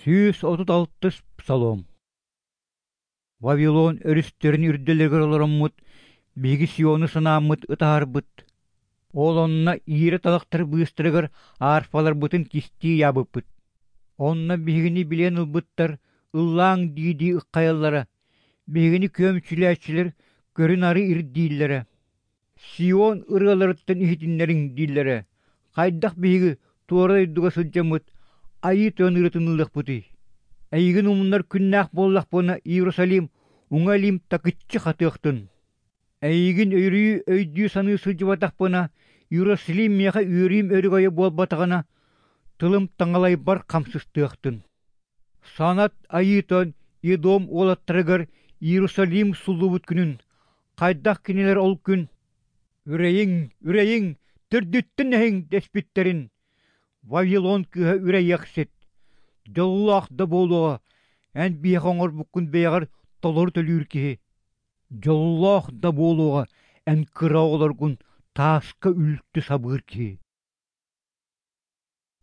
136-ыс Псалом. Вавилон өрүстэрин үрдэлигэр олороммут, биһиги Сиону санааммыт ытаһарбыт. Ол онно иирэ талахтар быыстарыгар арфаларбытын кистии ыйаабыппыт. Онно биһигини билиэн ылбыттар ыллааҥ дии-дии ыххайаллара, биһигини күөмчүлээччилэр көрү-нары ирдииллэрэ. Сион ырыаларыттан иһитиннэриҥ дииллэрэ, хайдах биһиги туора дойдуга сылдьаммыт Айыы Тойон ырыатын ыллыахпытый? Эйигин умнар күннээх буоллахпына, Иерусалим, уҥа илиим такыччы хатыахтын. Эйигин өрүү өйдүү-саныы сылдьыбатахпына, Иерусалим миэхэ үөрүүм өрөгөйө буолбатаҕына, тылым таҥалайбар хамсыстыахтын. Санат Айыы Тойон Едом уолаттарыгар Иерусалим суллубут күнүн, хайдах кинилэр ол күн «Үрэйиҥ, үрэйиҥ, төрдүттэн эһиҥ» дэспиттэрин, Вавилон кыыһа үрэйиэхсит, дьоллоох да буолуоҕа, эн биһиэхэ оҥорбуккун бэйэҕэр толору төлүүр киһи. Дьоллоох да буолуоҕа эн кыра оҕолоргун тааска үлтү сабыыр киһи.